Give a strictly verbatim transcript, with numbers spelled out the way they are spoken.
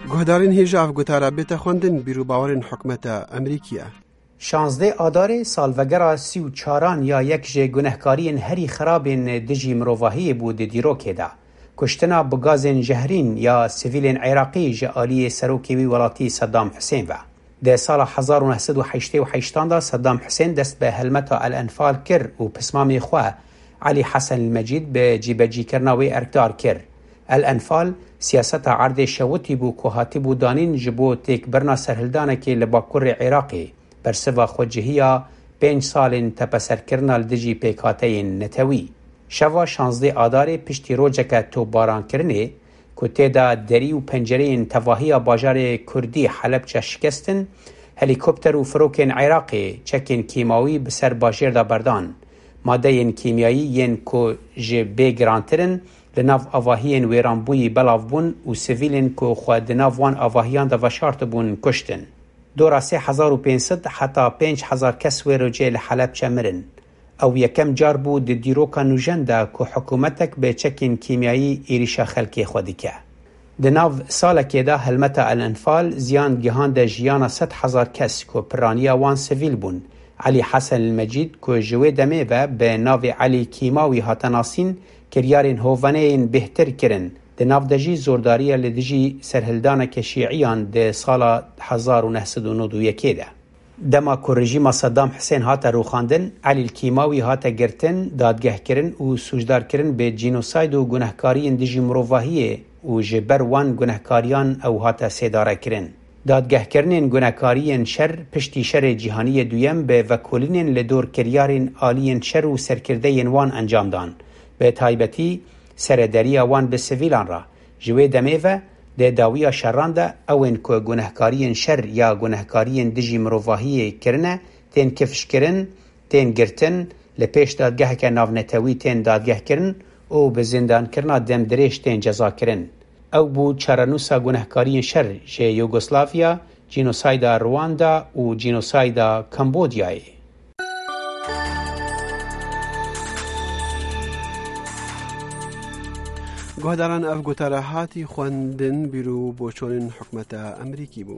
Guhdarên hêja ev gotara bête xwendin, bîr û bawerên hikûmeta Amerîkî ye. Şazdeh Adarê salvegera sî û çaran ya yek ji gunehkariyên herî xirabên dijî mirovahiyê bû di dîrokê de. Kuştina bi gazên jehrîn ya sivîlên Iraqî ji aliyê serokê wî welatî Seddam Husên ve. Di sala hezar û neh sed û heştê û heştan de Seddam Husên dest bi helmeta El Enfal kir û pismamê xwe Elî Hesen El Mecîd bi cîbecîkirina wê erkdar kir. El Enfal siyaseta erdê şewitî bû ku hatibû danîn ji bo têkbirina serhildanekê li bakurê Iraqê, bersiva xwecihiya pênc salên tepeserkirina li dijî pêkhateyên netewî. Şeva şazdeh Adarê piştî rojeke topbarankirinê, ku tê de derî û pencereyên tevahiya bajarê Kurdî Helebçe şikestin, helîkopter û firokên Iraqê çekên kîmawî bi ser bajêr de berdan. Madeyên kîmyayî yên ku ji bê girantir in, li nav avahiyên wêranbûyî belav bûn û sivîlên ku xwe di nav wan avahiyan de veşartibûn, kuştin. Dora sê hezar û pênc sed heta pênc hezar kes wê rojê li Helebçe mirin. Ew yekem car bû di dîroka nûjen de ku hikûmetek bi çekên kîmyayî êrîşa xelkê xwe dike. Di nav salekê de helmeta El Enfal ziyan gihande jiyana sed hezar kes ku piraniya wan sivîl bûn. Elî Hesen El Mecîd ku ji wê demê ve bi navê Elî Kîmawî hate nasîn, kiryarên hovaneyên bêhtir kirin. Di nav de jî zordariya li dijî serhildaneke şîiyan di sala hezar û neh sed û nod û yekê de. Dema ku rejîma Seddam Husên hate rûxandin, Elî Kîmawî hate girtin, dadgehkirin û sûcdarkirin bi cînosayd û gunehkariyên dijî mirovahiyê û ji ber wan gunehkariyan ew hate sêdarekirin. Dadgehkirinên gunekariyên şer piştî Şerê Cîhanî yê Duyem bi vekolînên li dor kiryarên aliyên şer û serkirdeyên wan encam dan, bi taybetî serederiya wan bi sivîlan re. Ji wê demê ve, di dawiya şeran de ewên ku gunehkariyên şer ya gunehkariyên dijî mirovahiyê kirine, tên kifşkirin, tên girtin, li pêş dadgeheke navnetewî tên dadgehkirin û bi zindankirina demdirêj tên cezakirin. Ew bû çarenûsa gunehkariyên şer ji Yugoslavya, cînosayda Rwanda û cînosayda Kambodyayê. Guhdaran, ev gotara hatî xwendin, bîr û boçonên hikûmeta Amerîkî bû.